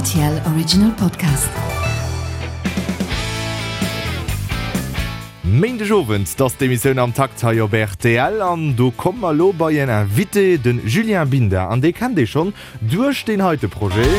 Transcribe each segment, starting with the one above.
RTL Original Podcast. Méindeg Owend, 't ass d'Emissioun Am Takt hei op rtl an do komme mer elo bei en Invité, de Julien Binda an dee kennt ee schonn duerch deen heite Projet.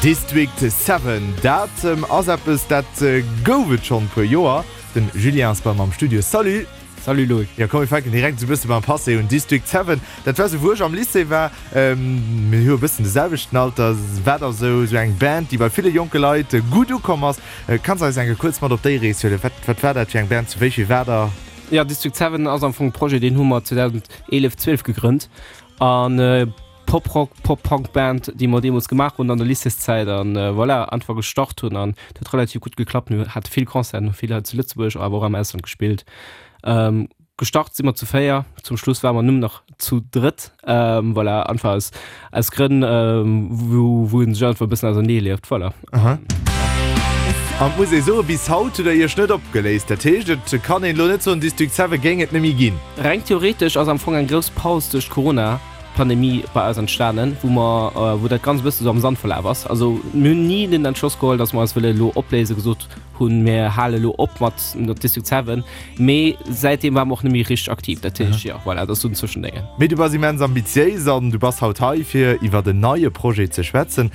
District 7, dat ass eppes dat gouf et schonn puer Joer. Den Julien ass bei mer am Studio. Salut! Salut Loïc. Jo komm mir fänken direkt esou bësse beim Passé un. District 7, dat war sou wou ech am Lycée war, mir hu e bëssen de selwechten Alter, war da sou sou eng Band déi bei ville jonke Leit gutt ukomm ass. Kanns eis eng Kéier kuerz mat op déi Rees huelen? Wat wat war dat fir eng Band, zu wéi vill war der? Jo, District 7 ass am Fong e Projet deen hu mer 2011, 12 gegrënnt an Pop-Rock, Pop-Punk Band déi mer deemools gemaach hunn an der Lycéeszäit an voilà einfach gestart hunn an et huet relativ gutt geklappt. Mir hate vill Concerten, hu vill hei zu Lëtzebuerg awer och am Ausland gespillt. Gestart si mer zu 4, zum Schluss ware mer nëmmen nach zu drëtt, voilà einfach aus aus Grënn wou wou een sech einfach e bëssen ausernee lieft, voilà. Aha. An et muss ee soen, bis haut hutt der iech net opgeléist. Dat heescht, et kann een elo net soen, District 7 géing et net méi ginn. Reng theoretesch ass am Fong eng grouss Paus duerch d'Corona Pandemie bei eis entstanen, wou mer, wou dat Ganzt e bësse sou am Sand verlaf ass. Also mir hunn ni den Entschloss geholl, datt mer eis wëlle elo opléisen, gesot hunn, mir hale elo op mat District 7, mee säitdeem ware mer och net méi richteg aktiv. Dat heescht, jo, voilà, dat ass sou en Zwëschendéngen. Mee du bass immens ambitiéis an du bass haut hei, fir iwwert en neie Projet ze schwätzen.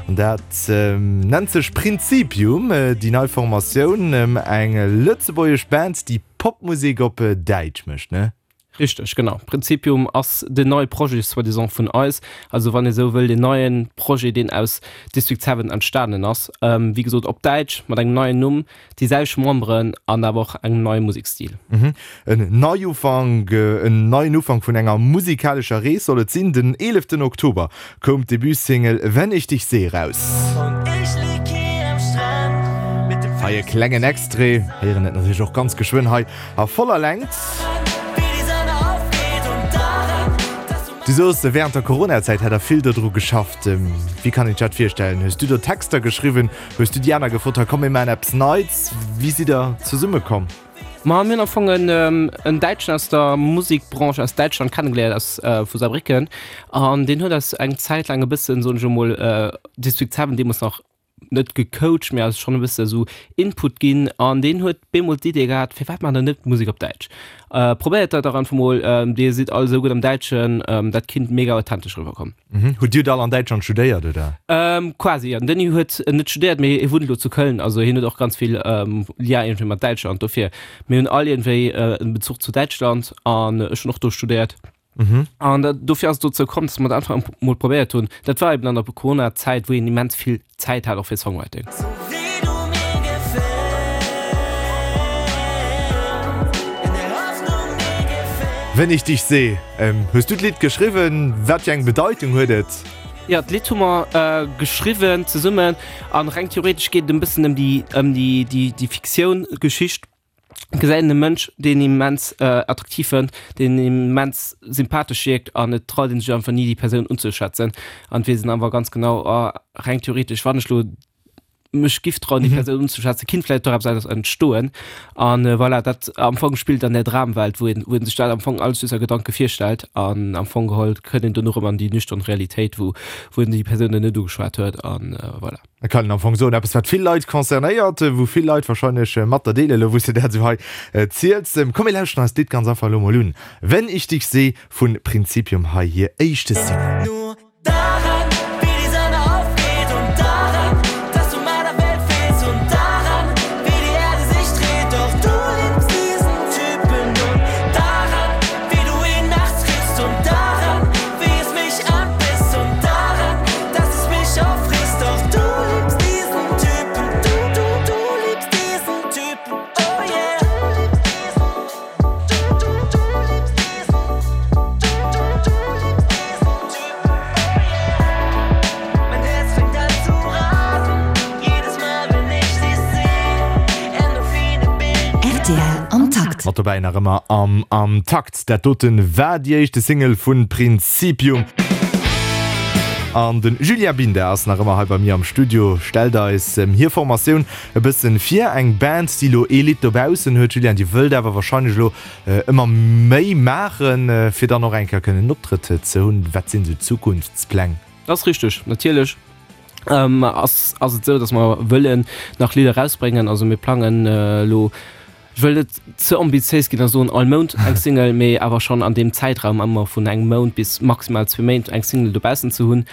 An dat nennt sech Prinzipium, déi nei Formatioun, eng lëtzebuergesch Band, déi Popmusek op Däitsch mécht, ne? Richteg, genau. Prinzipium ass den neie Projet soi-disant vun eis, also wann ee sou wëll, deen neie Projet, deen aus District 7 entstanen ass. Wéi gesot op Däitsch, mat engem neien Numm, déi selwecht Memberen an awer och engem neie Musekstil. En Neiufank, en neien Ufank vun enger musikalescher Rees soll et sinn. Den 11 Oktober koum d'Debut-Single Wenn ich dich seh raus. Hei e klengen Extrait, héieren et natierlech och ganz geschwënn hei A voller Längt. Du soos, wärend der Coronazäit hätt der vill dodru geschafft. Wéi kann een sech dat virstellen? Hues du do Texter geschriwwen? Hues du déi aner gefrot, hei komm mir maachen eppes Neits? Wéi sidd der zesummekomm? Ma mir hunn am Fong en Däitschen aus der Musikbranche aus Däitschland kennegeléiert, aus vu Saarbrécken. An deen huet eis eng Zäit laang e bëssen, soen ech emol, District 7 deemools nach net gecoacht, mee eis schonn e bësse sou Input ginn an deen huet bemol d'Idee gehat, firwat maacht der net Musek op Däitsch? Probéiert dat dach einfach mol, dir sidd all esou gutt am Däitschen, dat kinnt mega authentesch eriwwer kommen. Hutt dir all an Däitschland studéiert, oder? Quasi, jo. Den Denis huet net studéiert, mee hie wunnt elo zu Köln, also hien huet och ganz vill Lien iergendwéi mat Däitschland, dofir mir hunn all iergendwéi en Bezuch zu Däitschland an ech hunn och do studéiert. An dofir ass et dozou komm, dass mer dat einfach mol probéiert hunn. Dat war eben an der Corona-Zäit, wou een immens vill Zäit hat och fir Songwriting. Wenn ich dich seh. Hues du d'Lidd geschriwwen? Wat fir eng Bedeitung huet et? Jo, d'Lidd hu mer geschriwwen zesummen an reng theoretesch geet et e bëssen ëm déi, ëm déi, déi Fiktioun, Geschicht. Gesäit een e Mënsch, deen immens attraktiv fënnt, deen immens sympathesch wierkt an et traut een sech einfach ni déi Persoun unzeschwätzen an et weess een awer ganz genau, oh reng theoretesch wann ech lo mech giff trauen déi Persoun unzeschwätzen, kinnt vläicht doch eppes eppes entstoen an voilà dat am Fong spillt an där Dramwelt, wou een wou een sech dat am Fong alles just a Gedanke virstellt an am Fong geholl kënnt een dono erëm an déi nüchtern Realitéit, wou wou een déi Persoun dann net ugeschwat huet an voilà. Et kann een am Fong soen, eppes wat vill Leit concernéiert, wou vill Leit wahrscheinlech mat der deelen, elo wou s de dat esou hei ziels. Komm mir lauschteren eis d'Lidd ganz einfach elo mol un, Wenn ich dich seh vu Prinzipium, hei hir éischte Single. Rtl am Takt. Mat dobäi nach ëmmer am Am Takt. Dat doten war déi éischte Single vun Prinzipium. An de Julien Binda ass nach ëmmer hei bei mir am Studio, stellt eis hir Formatioun e bëssen vir. Eng Band, déi elo ee Lidd dobaussen huet. Julien, Dir wëllt awer warscheinlech elo ëmmer méi maachen, fir dann och eng Kéier kënnen en Optrëtt ze hunn. Wat sinn esou d'Zukunftspläng? Dat ass richteg. Natierlech ass ass et esou, datt mer wëllen nach Lidder erausbréngen. Also mir plangen elo, ech wëll net ze ambitiéis ginn a soen all Mount eng Single, mee awer schonn an deem Zäitraum ëmmer vun engem Mount bis maximal zwee Méint eng Single dobaussen ze hunn.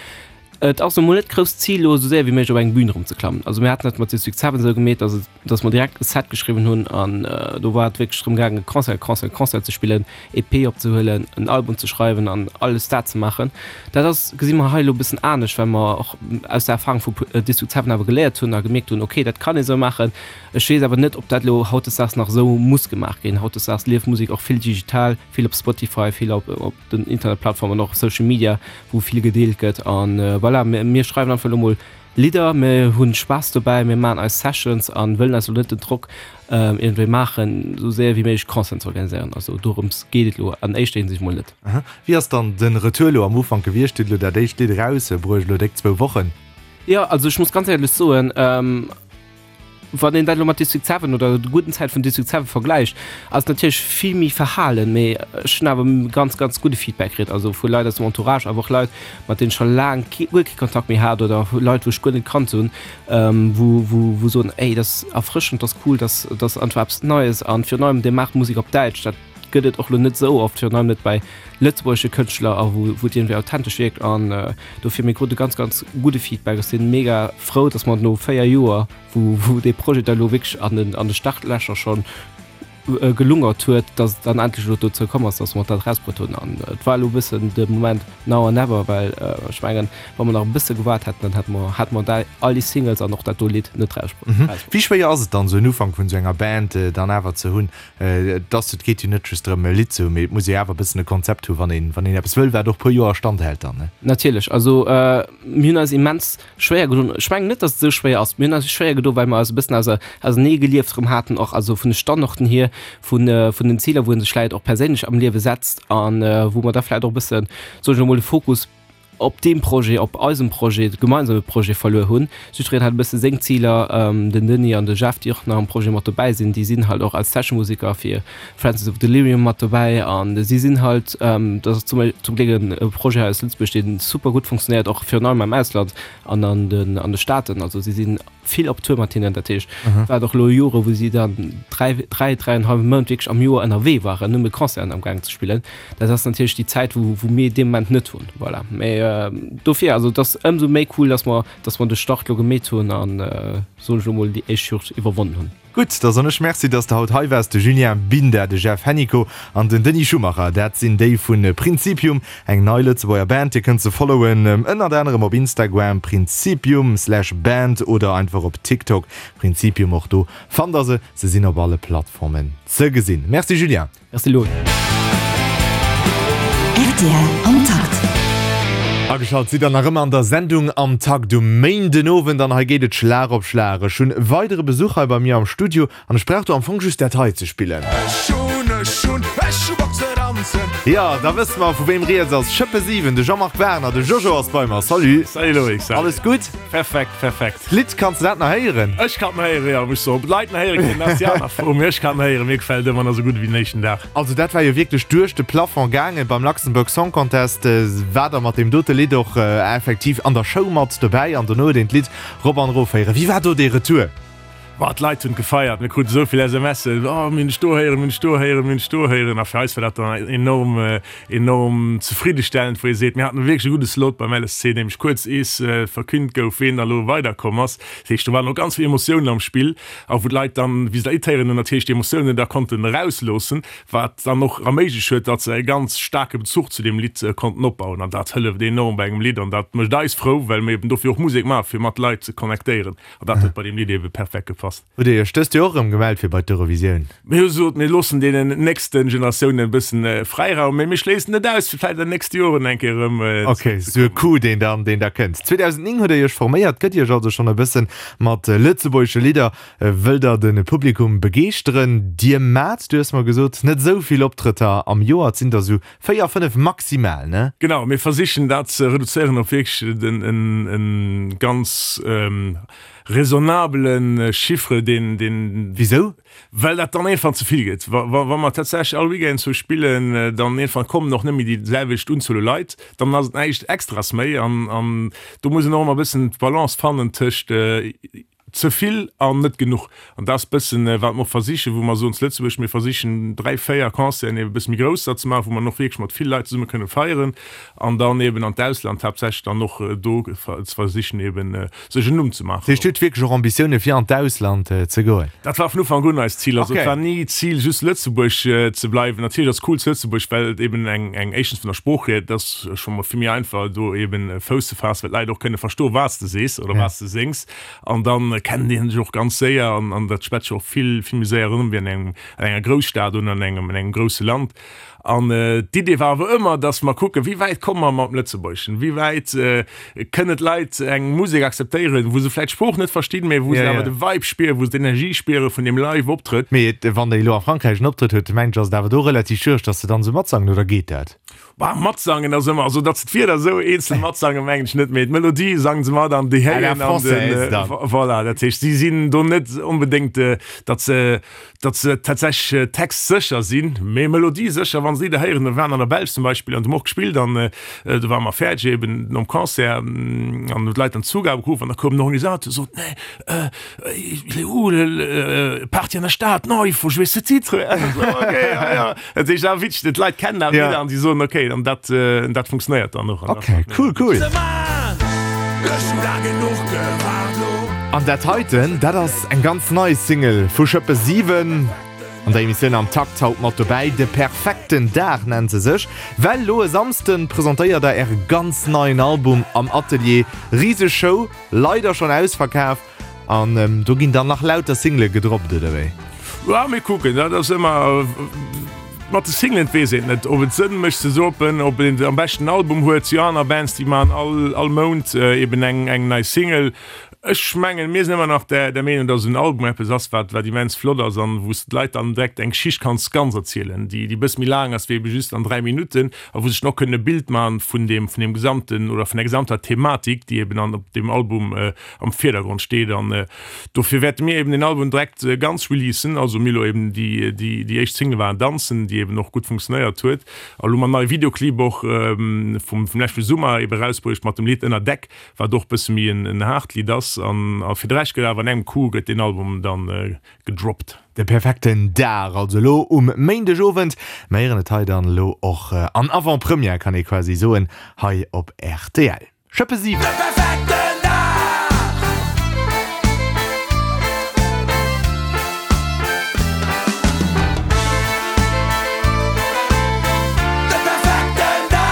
Et ass emol net d'grousst Zil elo esou séier wéi méiglech op eng Bühn erëm ze klammen. Also mir haten dat mat District 7 esou gemeet, datt et, datt mer direkt e Set geschriwwen hunn an do war et wierklech drëm gaangen Concert, Concert, Concert ze spillen, EP opzehuelen, en Album ze schreiwen an alles dat ze maachen. Dat ass, gesi mer hei elo e bëssen anescht, well mer och aus der Erfahrung vu District 7 awer geléiert hunn a gemierkt hunn, okay, dat kann ee sou maachen. Ech weess awer net, ob dat elo hautdesdaags nach esou muss gemaach ginn. Hautdesdaags lieft Musek och vill digital, vill op Spotify, vill op op den Internetplattformen, och op Social Media, wou vill gedeelt gëtt. An voilà, mir mir schreiwen einfach elo mol Lidder, mir hunn Spaass dobäi, mir maachen eis Sessions an wëllen eis elo net den Drock iergendwéi maachen, esou séier wéi méiglech Concerten ze organiséieren. Also dorëms geet et elo an éischter Hinsicht mol net. Wéi ass dann den Retour elo am Ufank gewiescht? Dir hutt elo dat éischt Lidd erausbruecht, elo déck zwou Wochen. Jo, also ech muss ganz éierlech soen, Wann een dat elo mat District 7 oder der gudden Zäit vun District 7 vergläicht, ass et natierlech vill méi verhalen, mee ech hunn awer ganz, ganz gudde Feedback kritt, also vu Leit aus dem Entourage, awer och Leit, mat deenen ech scho laang kee, guer kee Kontakt méi hat oder Leit, wou ech guer net kannt hunn, wou, wou, wou soen, Ey, dat ass erfrëschend, dat ass cool, dat, dat ass einfach eppes Neies an virun allem, Dir maacht Musek op Däitsch, dat gëtt et och elo net esou oft, virun allem net bei lëtzebuergesche Kënschtler a wou, wou et iergendwéi authentesch wierkt an dofir, mir krute ganz, ganz gudde Feedback. Ech si mega frou, datt mer no 4 Joer, wou, wou dee Projet da elo wierklech an den, an de Startlächer schonn gelungert huet, datt et dann endlech elo dozou komm ass, datt mer dat erausbruet hunn an et war elo e bëssen de Moment now or never, well ech mengen, wa mer nach e bësse gewaart hätten, dann hätte mer, hätte mer dei, all déi Singles an och dat do Lidd net erausbruet. Wéi schwéier ass et dann, esou en Ufank vun esou enger Band dann awer ze hunn? Et ass, et geet jo net just drëm e Lidd ze hunn, mee et muss ee awer e bëssen e Konzept hunn, wann een, wann een eppes wëll, wat och e puer Joer standhält dann, ne? Natierlech. Also mir hunn eis immens schwéier gedoen. Ech mengen net, datt et esou schwéier ass. Mir hunn eis schwéier gedoen, well mer eis e bëssen auser, ausernee gelieft erëm haten och, also vun de Standorten hier, vun, vun den Ziler, wou ee sech vläicht och perséinlech am Liewe setzt an wou mer da vläicht och e bëssen, soen ech elo mol, de Fokus op deem Projet, op eisem Projet, gemeinsame Projet verluer hunn. Jiddwereen hat e bësse seng Ziler. Den Denis an de Jeff, déi och nach am Projet mat dobäi sinn, déi sinn halt och als Sessionmuseker fir Francis of Delirium mat dobäi an si sinn halt, dat ass zum zum Gléck e Projet hei aus Lëtzebuerg, dee super gutt funktionéiert, och virun allem am Ausland an an den an de Staaten. Also si sinn vill op Tour mat hinnen, dat heescht, et war och elo Jore wou si dann dräi, dräi, dräienhallwe Mount wierklech am Joer ënnerwee waren, nëmme Concerten am gaangen ze spillen. Dat ass natierlech déi Zäit, wou, wou mir dee Moment net hunn. Voilà. Mee dofir, also et ass ëmsou méi cool, dass mer, dass mer de Start elo gemeet hunn an, soen ech elo mol, déi éischt Hürd iwwerwonnen hunn. Gutt, da soen ech Merci, dass de haut hei waars. De Julien Binda, de Jeff Hennicot an den Denis Schumacher, dat sinn déi vu Principium, eng nei Lëtzebuerger Band. Dir kënnt se followen ënnert anerem op Instagram, principium slash band oder einfach op TikTok, principium. Och do fannt der se. Se sinn op alle Plattformen ze gesinn. Merci Julien. Merci Lou. Rtl am Takt. Ageschalt sidd der nach ëmmer an der Sendung Am Takt um Méindenowend an hei geet et Schlag op Schlag. Ech hunn weidere Besuch hei bei mir am Studio an ech brauch do am Fong just dat hei ze spillen. Ech hunn, ech hunn, ech hu Bock ze danzen. Jo, da wësse mer vu wéim rieds ass. Schëppe 7, de Jean-Marc Werner, de Jojo ass bei mer. Salut. Salut Loïc, salut. Alles gutt? Perfekt, perfekt. D'Lidd, kanns de dat nach héieren? Ech kann et nach héieren, jo. Muss soen, ob d'Leit nach héiere kënnen, dat ass déi aner Fro, mee ech kann et nach héieren. Mir gefält ëmmer nach esou gutt ewéi den éischten Dag. Also dat war jo wierklech duerch de Plafond gaangen beim Luxembourg Song Contest. War der mat deem dote Lidd och effektiv an der Show mat dobäi an dono huet een d'Lidd rop an erof héieren. Wéi war do dee Retour? Boah, d'Leit hunn et gefeiert. Mir kruten esou vill SMSen, Oh, mir hunn dech do héieren, mir hunn dech do héieren, mir hunn dech do héieren. A fir eis war dat dann enorm, enorm zefriddestellend, wou ee seet, mir haten wierklech e gudde Slot beim LSC, nämlech kuerz ees verkünnt gouf, ween da lo weiderkomm ass. Dat heescht, do waren och ganz vill Emotiounen am Spill a wou d'Leit dann, wéi se dat Lidd héieren hunn, natierlech déi Emotiounen da konnten erausloossen, wat dann och erméiglecht huet, datt se e ganz staarke Bezuch zu deem Lidd konnten opbauen. An dat hëlleft enorm bei engem Lidd an dat mécht eis frou, well mir eben dofir och Musek maachen, fir mat Leit ze connectéieren. An dat huet bei deem Lidd ebe perfekt gepasst. passt. Hutt Dir Iech dëst Joer och erëm gemellt fir bei d'Eurovisioun? Mir hu gesot, mir loossen deenen nächste Generatiounen e bëssen Fräiraum, mee mir schléissen net aus, fir vläicht an den nächste Joren eng Kéier erëm Ok, sou e Coup, deen dann, deen da kënnt. 2009 hutt Der Iech forméiert, gëtt Iech also schonn e bëssen mat lëtzebuergesche Lidder, wëllt Der de Publikum begeeschteren. Dir maacht, du hues mer gesot, net esou vill Optrëtter am Joer, et sinn der esou 4, 5 maximal, ne? Genau, mir versichen dat ze reduzéieren op wierklech e ganz Raisonnabele Chiffre, deen, deen. Wisou? Well dat dann iergendwann ze vill gëtt. Wa, wa, wa mer tatsächlech all Weekend sou spillen, dann iergendwann kommen och net méi déi selwecht Unzuel u Leit, dann ass et näischt Extras méi. An, an do muss een och ëmmer e bëssen d'Balance fannen tëscht ze vill an net genuch. An dat ass e bëssen, wat mer och versichen, wou mer soen zu Lëtzebuerg, mir versichen dräi, véier Concerten ebe e bësse méi grousser ze maachen, wou mer och wierklech mat vill Leit zesumme kënne feieren. An dann eben an d'Ausland haaptsächlech dann och do ze versichen eben sech en Numm ze maachen. Dat heescht, Dir hutt wierklech och Ambitioune fir an d'Ausland ze goen? Dat war vun Ufank un eist Zil. Also et war ni d'Zil just Lëtzebuerg ze bleiwen. Natierlech ass cool zu Lëtzebuerg, well et eben eng eng éischtens vun der Sprooch hier, et ass scho mol vill méi einfach do eben Fouss ze faassen, well d'Leit och kënne verstoen, wat s de sees oder wat s de séngs. An dann kennen déi sech och ganz séier an an dat schwätzt sech och vill vill méi séier erëm wéi an engem an enger Grousstad oder an engem an engem grousse Land. An d'Idee war awer ëmmer, dass mer kucken, wéi wäit komme mer mam Lëtzebuergeschen, wéi wäit kënnen d'Leit eng Musek akzeptéieren, wou se vläicht d'Sprooch net verstinn, mä wou se awer de Vibe spieren, wou se d'Energie spiere vun deem Live-Optrëtt. Mee wann Der elo a Frankräich en Optrëtt hutt, mengen ech, ass et awer do relativ schwiereg, dass se dann esou matsangen, oder geet dat? Bah, matsangen ass ëmmer, also datt se d'Wierder esou eenzel matsangen, mengen ech net, mee d'Melodie sangen se mat an déi héieren an den, voilà, dat heescht, si sinn do net onbedéngt, datt se Datt se tatsächlech textsécher sinn, mee melodiesécher, wann se Lidder héieren. Mir waren an der Belsch zum Beispill an hu mer och gespillt an do ware mer fäerdeg eben nom Concert an hunn d'Leit dann d'Zugabe geruff an da koum den Organisateur sot, Nee, il est où le Party an der Stad? Non, il faut jouer ce titre. Okay, ja, ja. Dat heescht awer witzeg, d'Leit kennen awer d'Lidder an si soen okay, an dat, dat funktionéiert dann och. Okay, cool, cool. An dat heiten, dat ass eng ganz nei Single vu Schëppe 7 an der Emissioun Am Takt haut mat dobäi. De perfekten Dag nennt se sech, well lo e Samsden presentéiert der äre ganz neien Album am Atelier. Riseg Show, leider schonn ausverkaf. An do ginn dann nach lauter Single gedroppt, oder wéi? Ja, mir kucken. Dat ass ëmmer mat de Singlen, et weess een net, ob et Sënn mécht ze droppen, ob een am beschten Album huet. Si aner Bands, déi maachen all, all Mount eben eng, eng nei Single. Ech mengen, mir sinn ëmmer nach der, der Meenung, datt en Album eppes ass, wat, wat immens flott ass an wou s de d'Leit dann direkt eng Geschicht kanns ganz erzielen, déi, déi e bësse méi laang ass wéi ebe just an 3 Minutten a wou sech dann och kënnen e Bild maachen vun deem, vun deem gesamten oder vun der gesamter Thematik, déi eben an op deem Album am Virdergrond steet an dofir wäerte mir eben den Album direkt ganz releasen, also mir elo eben déi déi déi éischt Single war Danzen, déi eben och gutt funktionéiert huet a lo mam neie Videoclip och vum vum leschte Summer eben erausbruecht mat dem Lidd Ënner Deck, wat och bësse méi en en haart Lidd ass an a fir de Rescht gëtt awer an engem Coup gëtt deen Album dann gedroppt. De perfekten Dag also elo um Méindegowend. Mer héieren et hei dann elo och an Avant-Première kann ee quasi soen hei op rtl. Schëppe 7. De perfekten Dag! De perfekten Dag!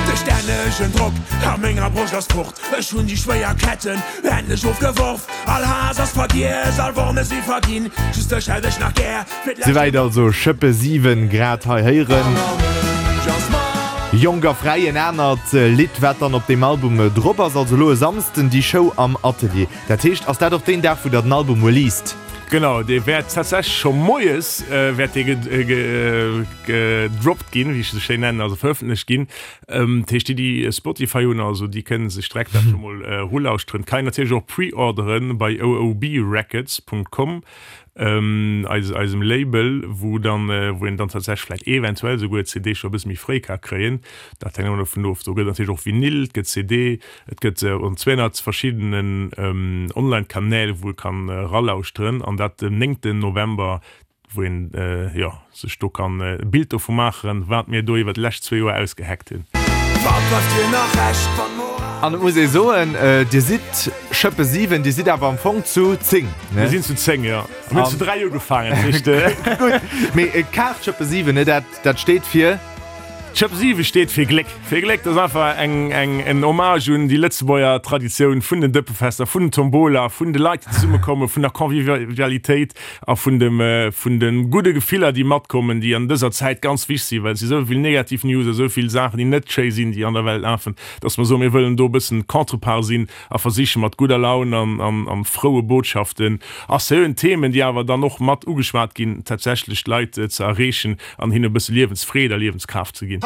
De stännegen Drock a menger Broscht ass fort. Ech hunn déi schwéier Ketten endlech ofgeworf. All Haass ass vergiess, all Wonne si verginn. Just dech hätt ech nach gär fir d'lescht. Souwäit also Schëppe 7, grad hei héieren. Jonk a fräi, en anert Lidd wat dann op deem Album drop ass. Also elo e Samsden déi Show am Atelier. Dat heescht, ass dat och deen Dag wou der den Album released? Genau, dee wäert tatsächlech scho moies wäert dee gedroppt ginn, wéi ech se schéin nennen, also verëffentlecht ginn. Dat heescht, déi, déi Spotify hunn, also déi kënne sech direkt dat scho mol erulauschteren. Kann een natierlech och pre-orderen bei oobrecords.com, eis, eisem Label, wou dann, wou een dann tatsächlech vläicht eventuell souguer d'CD scho e bësse méi fréi ka kréien. Dat hänkt ëmmer dovun of. Do gëtt natierlech och Vinyl, et gëtt CD, et gëtt an 200 verschiddenen Online-Kanäl, wou ee kann eralauschteren. An dat den 9. November wou een jo sech do kann e Bild dovu maachen, wat mir do iwwer déi lescht zwee Joer ausgehackt hunn. Wat bleift dir nach Rescht wann Moral. An et muss ee soen, Dir sidd Schëppe 7, Dir sidd awer am Fong zu 10, ne? Mir sinn zu 10, jo. Mir hunn zu 3 ugefaangen, dat heescht. Gutt, mee Kaart Schëppe 7, ne, dat, dat steet fir? D'Schëpp 7 steet fir Gléck. Fir Gléck, dat ass einfach eng, eng, en Hommage un déi Lëtzebuerger Traditioun vun den Dëppefester, vun den Tombola, vun de Leit, déi zesummekommen, vun der Convivialitéit a vun dem, vun de gudde Gefiller, déi matkommen, déi an dëser Zäit ganz wichteg sinn, well et si sou vill negativ News a sou vill Saachen, déi net schéi sinn, déi an der Welt lafen, dass mer soen, mir wëllen do e bëssen Contrepart sinn a versiche mat gudder Laun an, an, an froue Botschaften a seriöen Themen, déi awer dann och mat ugeschwat ginn, tatsächlech d'Leit ze erreechen. An hinne e bësse Liewensfreed a Liewenskraaft ze ginn.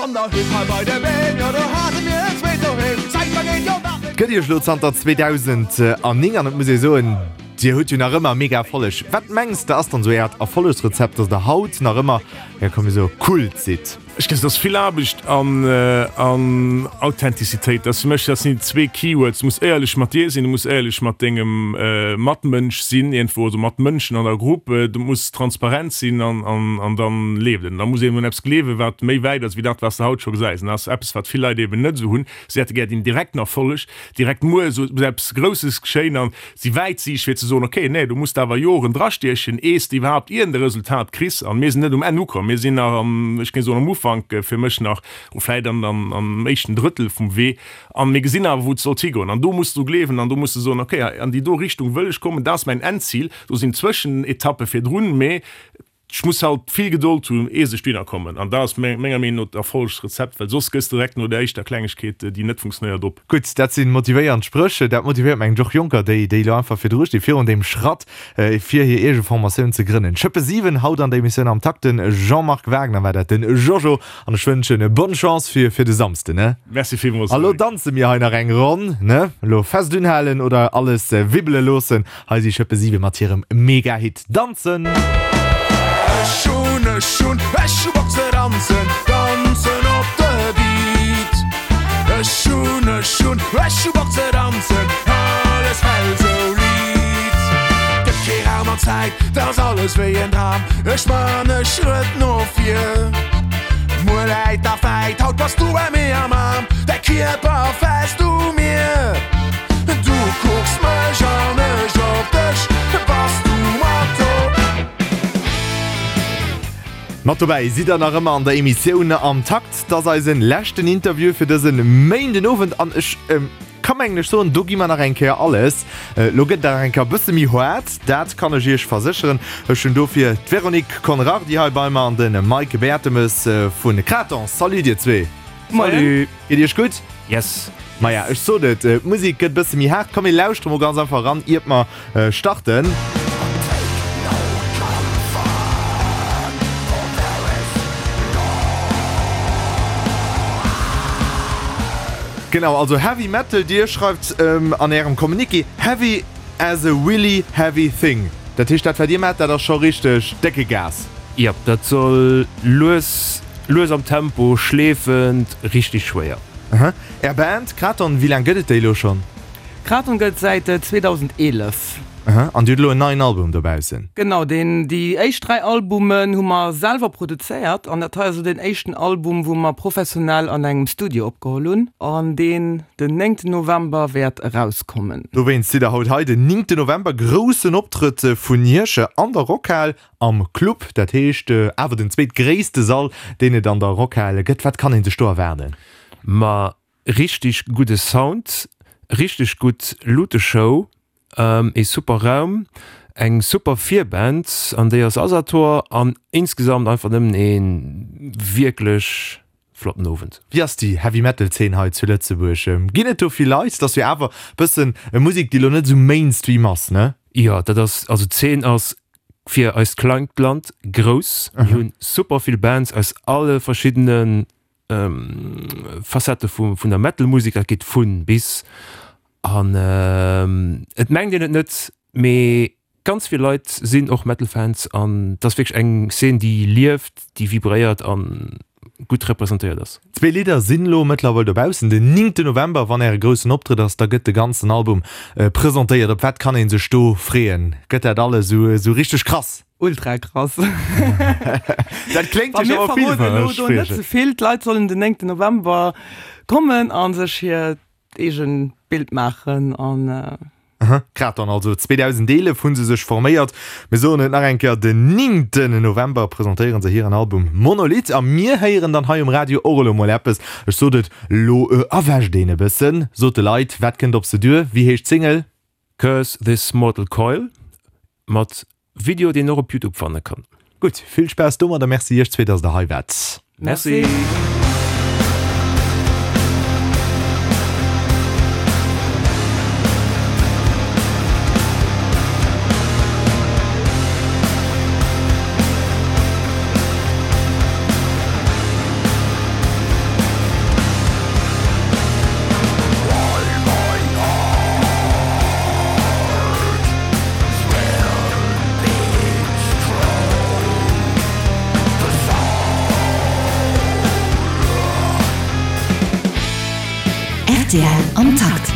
Gëtt iech elo zanter 2009 an et muss ee soen, dir hutt jo nach ëmmer mega Erfolleg. Wat mengs de ass dann esou äert Erfollegsrezept, dass der haut nach ëmmer, jo komm mir soe Kult sidd? Ech gesinn, et ass vill Aarbecht an Authentizitéit. Dat ass fir mech, dat sinn déi zwee Keywords. Du muss éierlech mat dir sinn, du muss éierlech mat dengem Matmënsch sinn iergendwou, also mat Mënschen an der Grupp. Du muss transparent sinn an dann leeft et. An da muss een un eppes gleewen, wat méi wäit ass wéi dat, wat s de haut scho gesäis. An dat ass eppes, wat vill Leit eben net esou hunn. Si hätte gär den direkten Erfolleg, direkt muer esou eppes Grousses geschéien an si wäitsiicht fir ze soen, okay, nee, do muss de awer Joren drastiechen, ees de iwwerhaapt iergend e Resultat kriss. An mir sinn net um Enn ukomm, mir sinn nach am, ech géing soen, am Ufank fir mech nach, vläit an am éischten Drëttel vum Wee. An mir gesinn awer, wou et sollt higoen. An do muss de dru gleewen an do muss de soen, okay, an déi do Richtung wëll ech kommen, dat ass mäin Endzil. Do sinn Zwëschenetappe virdrun, mee ech muss halt vill Gedold hunn, ees ech dohinner kommen. An dat ass menger Meenung no d'Erfollegsrezept, well soss gëss de direkt no der éischter Klengegkeet, déi net funktionéiert, op. Gutt, dat si motivéiernd Spréch. Dat motivéiert mengen ech och Jonker, déi déi elo einfach virdru stinn, virun deem Schratt, fir hir eege Formatioun ze grënnen. Schëppe 7 haut an der Emissioun Am Takt. De Jean-Marc Wagner war dat, den Jojo. An ech wënschen bonne Chance fir fir de Samsden, ne? Merci villmools. A lo danze mir hei nach eng Ronn, ne? Elo fest unhalen oder alles wibbele loossen. Hei si Schëppe 7 mat hirem Mega-Hit Danzen! Ech hunn, ech hunn, ech hu Bock ze danzen, danzen op de Beat. Ech hunn, ech hunn, ech hu Bock ze danzen, alles fält sou liit. Gëtt kee Raum an Zäit, 't ass alles wéi en Dram, ech man e Schrëtt no vir. Muer läit nach wäit, haut bass du bei mir am Aarm, däi Kierper fest u mir. Du kucks mech an ech op dech, bass du mat do? Mat dobäi sidd der nach ëmmer an der Emissioun Am Takt. 't ass eisen leschten Interview fir dësen Méindenowend an ech ka mengen ech soen, do gi mer nach eng Kéier alles. Lo gëtt et nach eng Kéier e bësse méi haart, dat kann ech iech versécheren. Ech hunn dofir d'Véronique Conrardy hei bei mer an de Mike Bertemes vu Kraton. Salut dir zwee. Salut. Geet iech gutt? Yes. Maja, ech sot et, d'Musek gëtt bësse méi haart. Komm mir lauschtere mol ganz einfach eran, iert mer starten. Genau, also Heavy Metal, dir schreift an ärem Communiqué, Heavy as a really heavy thing. Dat heescht, dat wat dir maacht, dat ass scho richteg décke Gas. Jep, dat soll lues lues am Tempo, schleefend, richteg schwéier. Aha. Är Band Kraton, wéi laang gëtt et déi elo schonn? Kraton gëtt et säit 2011. Aha. An dir hutt elo en neien Album dobaussen? Genau, deen, déi éischt 3 Albumen hu mer selwer produzéiert an dat hei ass elo deen éischten Album, wou mer professionell an engem Studio opgeholl hunn an deen den 9 November wäert erauskommen. Dowéinst sidd der haut hei, den 9 November, groussen Optrëtt vun Iech an der Rockhal. Am Club, dat heescht awer den zweetgréisste Sall, deen et an der Rockhal gëtt. Wat kann ee sech do erwaarden? Ma richteg gudde Sound, richteg gutt Luteshow, ee super Raum, eng super Virband, an déi ass Asator, an insgesamt einfach nëmmen ee wierklech flotten Owend. Wéi ass déi Heavy Metal Zeen hei zu Lëtzebuerg? Ginn et do vill Leit? Et ass jo awer bëssen Musek, déi elo net esou Mainstream ass, ne? Jo, dat ass, also d'Zeen ass fir eist klengt Land grouss. Mir hunn super vill Bands aus alle verschiddene Facettë vun der Metal Musek, dat geet vun bis. An et mengt een et net, mee ganz vill Leit sinn och Metal Fans an et ass wierklech eng Szene déi lieft, déi vibréiert an gutt representéiert ass. Zwee Lidder sinn elo mëttlerweil dobaussen. Den 9 November, wann äre groussen Optrëtt ass, da gëtt de ganzen Album presentéiert. Op wat kann ee sech do freeën? Gëtt dat alles esou richteg krass? Ultra krass. Dat kléngt jo scho mol Mir verroden elo do net ze vill. D'Leit sollen den 9 November kommen a sech hiert eegen Bild maachen an. Grad dann also 2011 hu se sech forméiert. Mir soen et nach eng Kéier, den 9 November presentéiere se hiren Album Monolith a mir héieren dann hei um Radio och elo mol eppes. Ech sot et, lo erwächt een e bëssen. Sot de Leit, wat kënnt op se duer? Wéi heescht d'Single? Curse This Mortal Coil mat Video deen och op Youtube fanne kann. Gutt, vill Spaass domat a Merci iech zwee, dass der hei waart. Merci. Rtl am Takt.